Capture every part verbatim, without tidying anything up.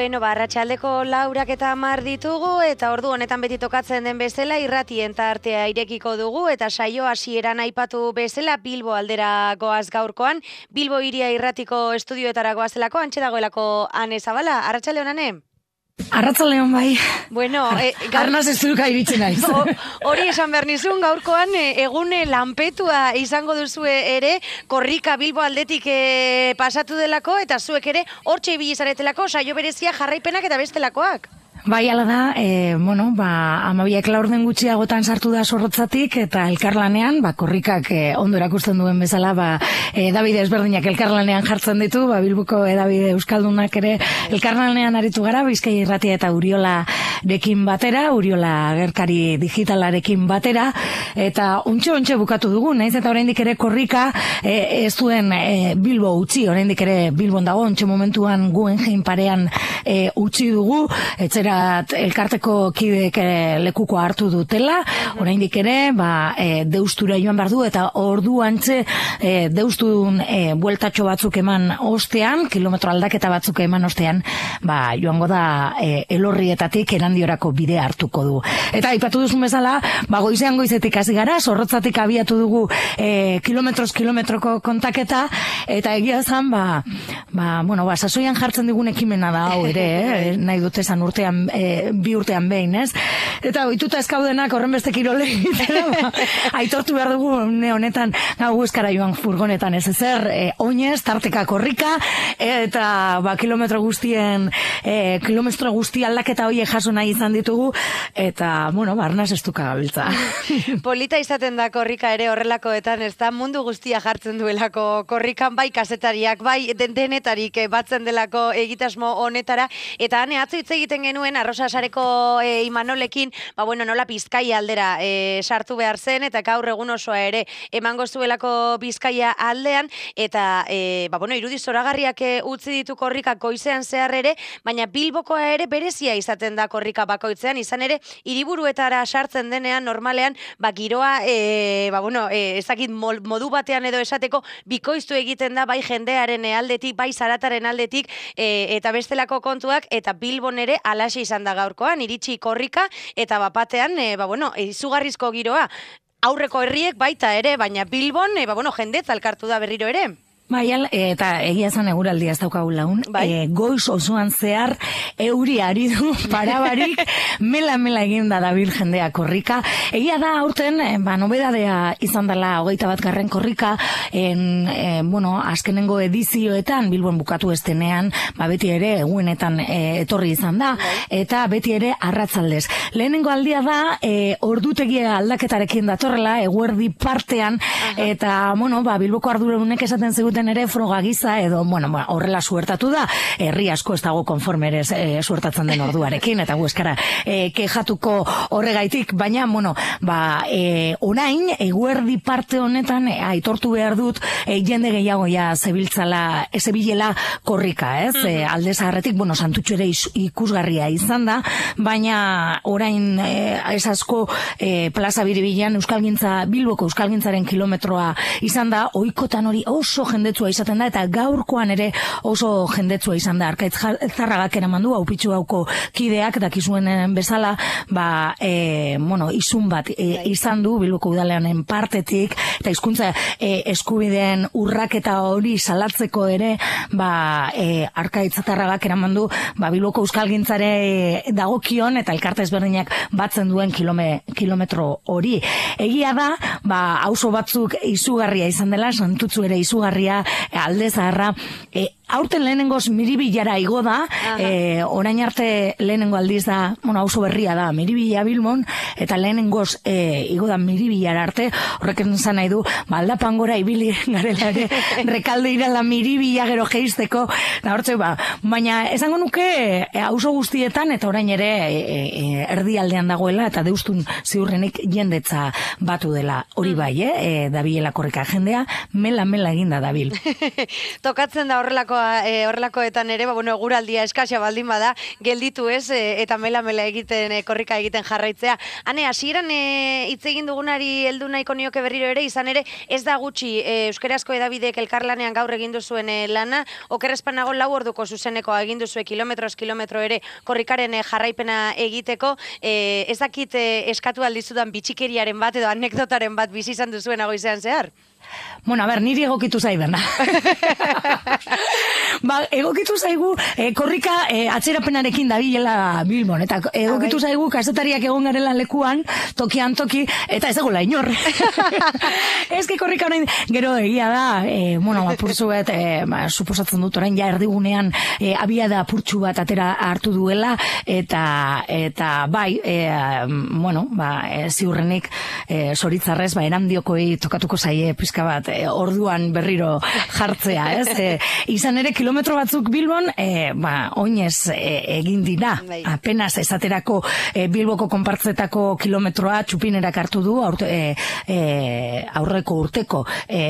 Bueno, ba, arratsaldeko laurak eta hamar ditugu, eta ordu honetan beti tokatzen den bezala irratien tartea irekiko dugu, eta saio hasieran aipatu bezala Bilbo aldera goaz gaurkoan, Bilbo hiria irratiko estudioetara goazelako, antxe dagoelako Ane Zabala. Arratsalde on, Ane? Arratzaldeon bai. Bueno, e, gaur... Arnaz ez duka iritsi naiz. Hori esan behar nizun, gaurkoan egune lanpetua izango duzue ere, korrika Bilbo aldetik e, pasatu delako, eta zuek ere hortxe ibili zaretelako, saio berezia jarraipenak eta bestelakoak. Bai, ala da, e, bueno, ba, amabiak laurden gutxiagotan sartu da Zorrotzatik, eta elkarlanean, ba, korrikak e, ondo erakusten duen bezala, ba, edabide ezberdinak elkarlanean jartzen ditu, ba, Bilboko edabide euskaldunak ere elkarlanean aritu gara, Bizkaia Irratia eta Uriolarekin batera, Uriola agerkari digitalarekin batera, eta ontxe-ontxe bukatu dugu, naiz eta oraindik ere korrika e, ez duen e, Bilbo utzi, oraindik ere Bilbon dago, ontxe momentuan Guggenheim parean e, utzi dugu, etzera elkarteko kidek lekuko hartu dutela, oraindik ere, ba, e, deustura joan behar du, eta ordu antze e, deustudun e, bueltatxo batzuk eman ostean, kilometro aldaketa batzuk eman ostean, ba, joango da e, elorrietatik erandiorako bidea hartuko du. Eta aipatu duzun bezala, ba, goizean goizetik hasi gara, Zorrotzatik abiatu dugu e, kilometroz kilometroko kontaketa, eta egia zan, ba, ba, bueno, ba, sasoian jartzen digun ekimena da hau ere, eh? Nahi dut esan urtean E, bi urtean behin, ez? Eta ohituta eskaudenak horren beste kirole egitera, ba, aitortu behar dugu ne honetan gau eskara joan furgonetan ez ezer, e, oinez, tarteka korrika, eta ba, kilometro guztien e, kilometro guzti aldaketa horiek jaso nahi izan ditugu, eta, bueno, barnaz ez duka gabiltza. Polita izaten da korrika ere horrelakoetan, ez da mundu guztia jartzen duelako korrikan, bai kasetariak, bai denetarik batzen delako egitasmo honetara, eta hane atzo hitz egiten genuen Arrosa Sareko e, Imanolekin, ba bueno, nola Bizkaia aldera e, sartu behar zen, eta gaur egun osoa ere emango zuelako Bizkaia aldean, eta e, ba bueno, irudi zoragarriak e, utzi ditu korrika goizean zehar ere, baina Bilbokoa ere berezia izaten da korrika bakoitzean, izan ere hiriburuetara sartzen denean normalean, ba giroa e, ba bueno, e, ezakit modu batean edo esateko bikoiztu egiten da bai jendearen aldetik, bai zarataren aldetik, e, eta bestelako kontuak, eta Bilbon ere alaxe izan da gaurkoan, iritsi korrika, eta bapatean, e, ba bueno, izugarrizko giroa, aurreko herriek baita ere, baina Bilbon, e, ba bueno, jendetza elkartu da berriro ere. Bai, eta egia zan eguraldia ez daukagu laun, bai. e, goiz osoan zehar euri ari du parabarik, mela-mela egin da dabil jendea korrika. Egia da aurten, ba, nobedadea izan dela hogeita bat garren korrika, en, e, bueno, azkenengo edizioetan, Bilbon bukatu estenean, ba, beti ere egunetan e, etorri izan da, eta beti ere arratzaldez. Lehenengo aldia da, e, ordutegia aldaketarekin datorrela, eguerdi partean, aha. Eta, bueno, ba, Bilboko arduradunek esaten zegoen ere froga giza edo, bueno, horrela suertatu da, herri asko ez dago konformerez e, suertatzen den orduarekin, eta gu eskara e, kejatuko horregaitik, baina, bueno, ba, e, orain, eguerdi parte honetan, e, aitortu behar dut, e, jende gehiago ja zebiltzala, zebilela korrika, ez? Mm-hmm. E, alde zaharretik, bueno, Santutxo ere ikusgarria izan da, baina orain e, ez asko e, plaza biribilan Euskalgintza, Bilboko Euskalgintzaren kilometroa izan da, ohikotan hori oso jendetzua izaten da, eta gaurkoan ere oso jendetzua izan da. Arkaitz Zarragak eraman du, haupitxu hauko kideak, dakizuen bezala, ba, e, bueno, izun bat e, izan du, Bilboko udaleanen partetik, eta hizkuntza e, eskubideen urraketa hori salatzeko ere, ba, e, Arkaitz Zarragak eraman du, ba, Bilboko Euskalgintzare dagokion, eta elkarte ezberdinak batzen duen kilome, kilometro hori. Egia da, ba, auzo batzuk izugarria izan dela, Santutxu ere izugarria, alde zaharra, e, aurten lehenengoz Miribilara igo da, e, orain arte lehenengo aldiz da, bueno, auzo berria da, Miribilla Bilbon, eta lehenengoz e, igo da Miribillara arte, horrek esan nahi du, ba, aldapan gora ibili garela ere, rekalde irala Miribilla gero geizteko, da hortze, ba, baina esango nuke e, auzo guztietan, eta orain ere e, e, erdialdean dagoela, eta deustun ziurrenik jendetza batu dela, hori bai, eh, e, dabilela korrika jendea, mela-mela eginda dabil. Tokatzen da horrelako horrelakoa, e, horrelakoetan ere, ba, bueno, eguraldia eskasia baldin bada, gelditu ez, e, eta mela-mela egiten, e, korrika egiten jarraitzea. Hane, hasieran e, hitz egin dugunari heldu nahiko nioke berriro ere, izan ere, ez da gutxi e, euskarazko edabidek elkarlanean gaur egin duzuen e, lana, okerrezpanago lau orduko zuzeneko egin duzue kilometroz kilometro ere korrikaren e, jarraipena egiteko, e, ez dakit e, eskatu aldizudan bitxikeriaren bat edo anekdotaren bat bizi izan duzuen goizean zehar? Bueno, a ber, niri egokitu zaidana. Ba, egokitu zaigu, eh, korrika eh, atzerapenarekin dabilela Bilbon, eta egokitu zaigu kazetariak egon garela lekuan, tokian toki, eta ez dagoela inor. Ez ki korrika honen, gero egia da, eh, bueno, apurtzu bet, eh, ba, suposatzen dut orain ja erdigunean eh, abiada apurtxu bat atera hartu duela, eta eta bai, eh, bueno, ba, eh, ziurrenik eh, zoritzarrez, ba, erandiokoi tokatuko zaie pizka bat, e, orduan berriro jartzea, ez? E, izan ere, kilometro batzuk Bilbon, e, ba, oinez e, egin dira. Apenas esaterako e, Bilboko konpartzetako kilometroa txupinerak hartu du, aurte, e, e, aurreko urteko, e,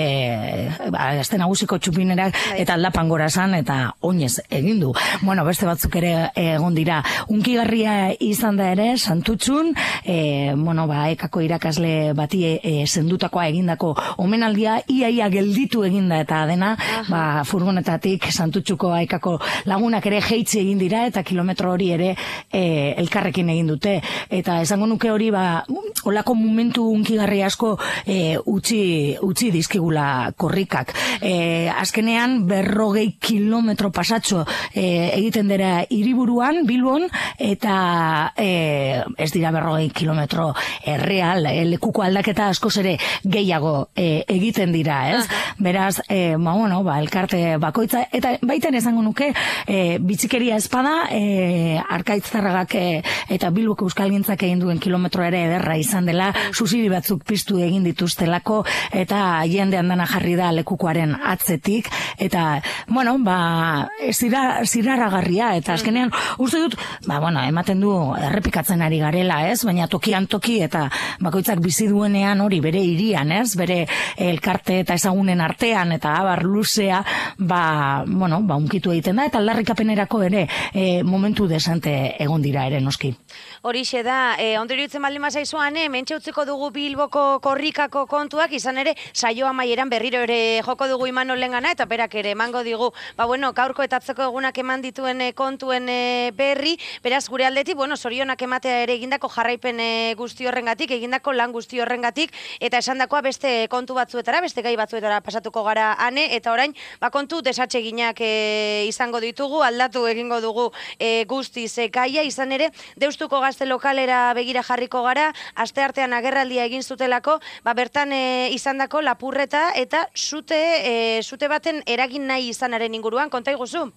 ba, azte nagusiko txupinerak, eta aldapan gorazan, eta oinez egin du. Bueno, beste batzuk ere egon dira. Unkigarria izan da ere, Santutxun, e, bueno, ba, ekako irakasle bati e, sendutakoa egindako omenaldia iaia gelditu eginda eta dena, ba, furgonetatik Santutxuko aikako lagunak ere jeitzi egin dira eta kilometro hori ere e, elkarrekin egin dute. Eta esango nuke hori, ba, olako momentu unkigarri asko e, utzi, utzi dizkigula korrikak. E, azkenean berrogei kilometro pasatxo e, egiten dira hiriburuan Bilbon, eta e, ez dira berrogei kilometro erreal, e, lekuko aldaketa askoz ere gehiago e, egiten dira, ez? Aha. Beraz, e, ba, bueno, ba, elkarte bakoitza, eta baiten esango nuke, e, bitxikeria espada, e, Arkaitzarragak e, eta Bilboko Euskalgintzak egin duen kilometro ere ederra izan dela, susiri batzuk piztu egin dituztelako, eta jendean dana jarri da lekukoaren atzetik, eta, bueno, ba, zira, ziraragarria, eta azkenean, uste dut, ba, bueno, ematen du errepikatzen ari garela, ez? Baina tokian toki, eta bakoitzak bizi duenean hori bere hirian, ez? Bere elkarte eta ezagunen artean, eta abar luzea, ba, bueno, ba, unkitu egiten da, eta aldarrikapenerako ere e, momentu desante egon dira ere, noski. Horixe da, e, ondero itzen baldin mazaizuan, e, mentxe utziko dugu Bilboko korrikako kontuak, izan ere, saio amaieran berriro ere joko dugu Imanol lengana, eta berak ere emango digu, ba, bueno, gaurko eta atzeko egunak eman dituen e, kontuen e, berri, beraz, gure aldetik, bueno, zorionak ematea ere egindako jarraipen e, guzti horrengatik, egindako lan guzti horrengatik, eta esandakoa beste kontu batzuetara, beste gai batzuetara pasatuko gara ane, eta orain, ba, kontu desatseginak e, izango ditugu, aldatu egingo dugu e, guztiz e, gaia, izan ere, Deustuko gazte lokalera begira jarriko gara, asteartean agerraldia egin zutelako, ba, bertan e, izandako lapurreta eta zute, e, zute baten eragin nahi izanaren inguruan, konta iguzu?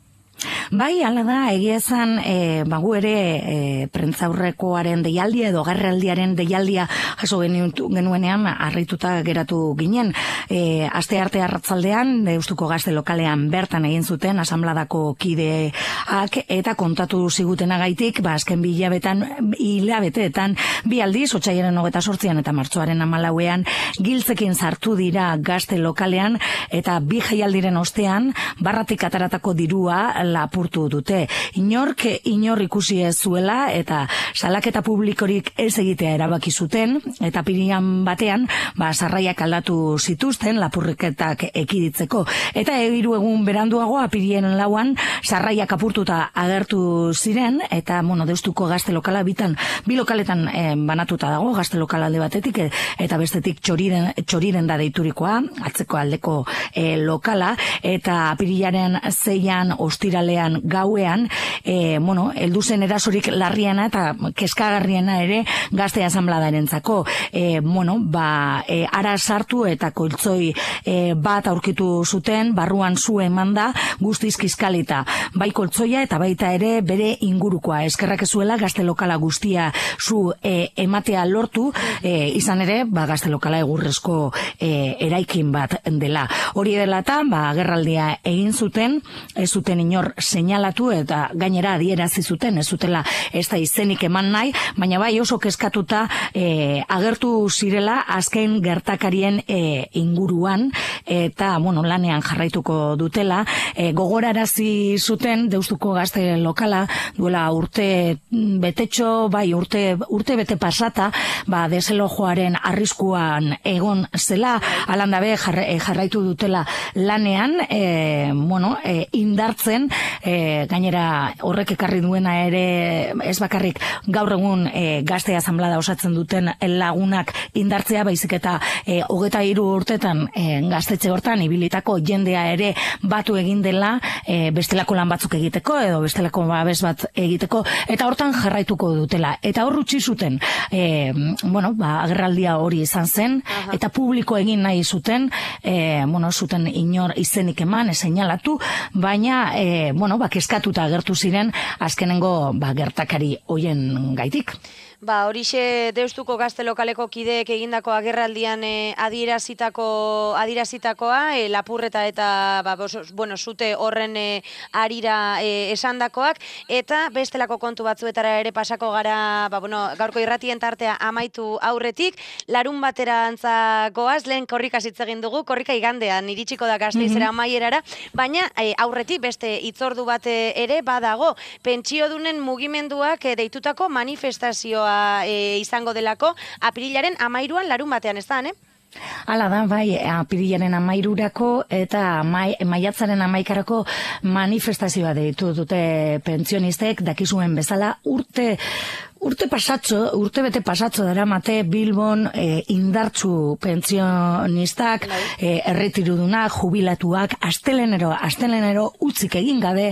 Bai, hala da, egia esan, e, bagu ere e, prentzaurrekoaren deialdia edo garraldiaren deialdia jaso genuenean harrituta geratu ginen. E, aste arte arratzaldean, Deustuko gazte lokalean bertan egin zuten asambladako kideak eta kontatu zigutenagaitik, ba, azken bi hilabetan, hilabeteetan, bi aldiz, otsailaren hogeta sortzian eta martxoaren hamalauean, giltzekin sartu dira gazte lokalean eta bi jaialdiren ostean, barratik ataratako dirua lapurtu dute. Inork inor ikusi ez zuela eta salaketa publikorik ez egitea erabaki zuten eta pirian batean ba sarraiak aldatu zituzten lapurreketak ekiditzeko eta hiru egun beranduago apirien lauan sarraiak apurtuta agertu ziren eta bueno Deustuko gazte lokala bitan bi lokaletan eh, banatuta dago gazte lokala alde batetik e, eta bestetik txoriren txoriren da deiturikoa atzeko aldeko eh, lokala eta apirilaren seian ostiralean gauean, e, bueno, heldu zen erasorik larriena eta kezkagarriena ere gazte asanbladarentzako. E, bueno, ba, e, ara sartu eta koltzoi e, bat aurkitu zuten, barruan zu emanda guztiz kiskalita. Bai koltzoia eta baita ere bere ingurukoa. Eskerrak ezuela gazte lokala guztia zu e, ematea lortu, e, izan ere, ba, gazte lokala egurrezko e, eraikin bat dela. Hori dela eta, ba, agerraldia egin zuten, ez zuten inor inor seinalatu eta gainera adierazi zuten, ez zutela ez da izenik eman nahi, baina bai oso kezkatuta e, agertu zirela azken gertakarien e, inguruan eta bueno, lanean jarraituko dutela. E, gogorarazi zuten Deustuko Gazte Lokala duela urte betetxo, bai urte, urte bete pasata, ba deselojoaren arriskuan egon zela, alandabe jarraitu dutela lanean, e, bueno, e, indartzen, e, gainera horrek ekarri duena ere ez bakarrik gaur egun e, gazte asanblada osatzen duten lagunak indartzea, baizik eta e, hogeta hiru urtetan e, gaztetxe hortan ibilitako jendea ere batu egin dela e, bestelako lan batzuk egiteko edo bestelako babes bat egiteko, eta hortan jarraituko dutela. Eta hor utzi zuten, e, bueno, ba, agerraldia hori izan zen, Aha. eta publiko egin nahi zuten, e, bueno, zuten inor izenik eman, seinalatu, baina, e, bueno, ba, kezkatuta agertu ziren azkenengo ba, gertakari hoien gaitik. Ba, horixe Deustuko Gazte Lokaleko kideek egindako agerraldian e, adierazitako adierazitakoa, e, lapurreta eta ba, bos, bueno, zute horren e, arira e, esandakoak, eta bestelako kontu batzuetara ere pasako gara, ba, bueno, gaurko irratien tartea amaitu aurretik, larun batera antza goaz, lehen korrika hitz egin dugu, korrika igandean iritsiko da Gasteizera mm-hmm. amaierara, baina e, aurretik beste hitzordu bat ere badago, pentsiodunen mugimenduak e, deitutako manifestazioa E, izango delako apirilaren amairuan larun batean, ez da, ne? Hala da, bai, apirilaren amairurako eta mai, maiatzaren amaikarako manifestazioa deitu dute pentsionistek, dakizuen bezala urte Urte pasatxo, urte bete pasatxo dara mate Bilbon e, indartzu pentsionistak, e, erretirudunak, jubilatuak, astelenero, astelenero utzik egin gabe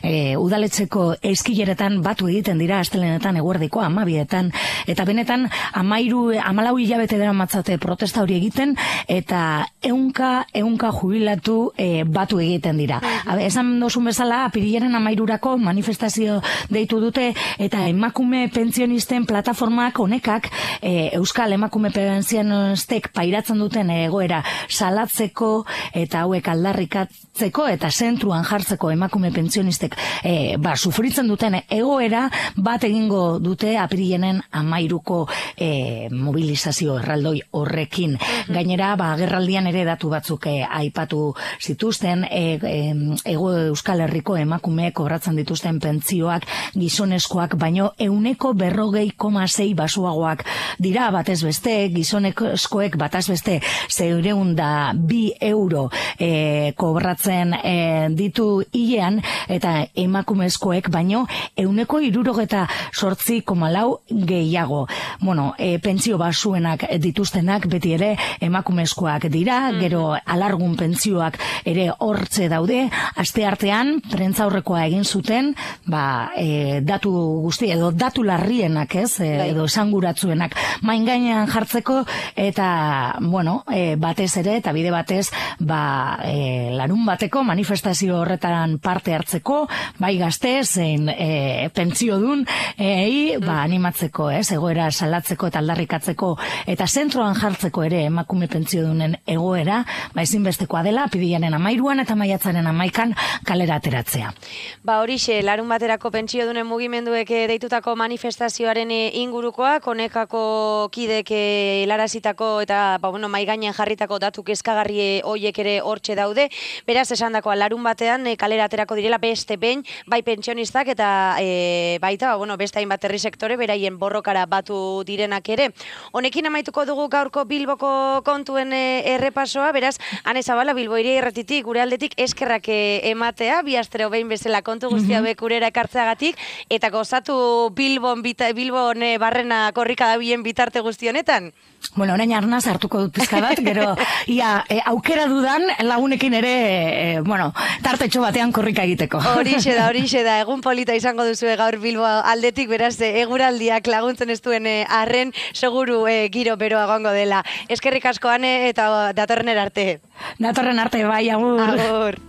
e, udaletxeko eskileretan batu egiten dira astelenetan eguerdiko amabietan, eta benetan amairu, amalau hilabete dara matzate protesta hori egiten, eta eunka, eunka jubilatu e, batu egiten dira. Habe, esan dozun bezala, apirilaren amairurako manifestazio deitu dute, eta emakume pentsionistak pentsionisten plataformak honekak e, Euskal Emakume Pentsionistek pairatzen duten egoera salatzeko eta hauek aldarrikatzeko eta zentruan jartzeko emakume pentsionistek e, ba, sufritzen duten egoera bat egingo dute apirilenen amairuko e, mobilizazio erraldoi horrekin. Gainera, ba, agerraldian ere datu batzuk e, aipatu zituzten, e, e, ego Euskal Herriko emakume kobratzen dituzten pentsioak gizonezkoak baino euneko berrogei koma sei basuagoak dira batez beste, gizonezkoek bataz beste zeureun da bi euro e, kobratzen e, ditu hilean, eta emakumezkoek baino euneko hirurogeta sortzi koma lau gehiago. Bueno, e, pentsio basuenak dituztenak beti ere emakumezkoak dira, gero alargun pentsioak ere hortze daude, aste artean prentzaurrekoa egin zuten, ba, e, datu guzti edo datu larrienak, ez, e, edo esanguratzuenak main gainean jartzeko, eta bueno, e, batez ere eta bide batez, ba, e, larun bateko manifestazio horretan parte hartzeko, bai gazte zein e, pentsiodun ei, ba, animatzeko, ez, egoera salatzeko eta aldarrikatzeko eta zentroan jartzeko ere emakume pentsiodunen egoera, ba, ezinbestekoa dela apirilaren amairuan eta maiatzaren amaikan kalera ateratzea. Ba, horixe, larun baterako pentsiodunen mugimenduek deitutako manifestazioaren ingurukoak, honekako kidek helarazitako eta ba, bueno, mai gainean jarritako datu kezkagarri hoiek ere hortxe daude. Beraz, esandakoa larun batean e, kalera aterako direla beste behin, bai pentsionistak eta e, baita, ba, bueno, beste hainbat herri sektore beraien borrokara batu direnak ere. Honekin amaituko dugu gaurko Bilboko kontuen e, errepasoa, beraz, Ane Zabala, Bilbo Hiria Irratitik gure aldetik eskerrak e, ematea, bi astero behin bezala kontu guztia mm-hmm. bekurera ekartzeagatik, eta gozatu Bilbon, bita, Bilbon e, barrena korrika dabilen bitarte guzti honetan. Bueno, orain arnaz hartuko dut pizka bat, gero ia, e, aukera dudan lagunekin ere, e, bueno, tartetxo batean korrika egiteko. Horixe da, horixe da, egun polita izango duzu gaur Bilbo aldetik, beraz, eguraldiak laguntzen ez duen arren, seguru e, giro beroa gongo dela. Eskerrik asko, Ane, eta datorren arte. Datorren arte, bai, agur. Agur.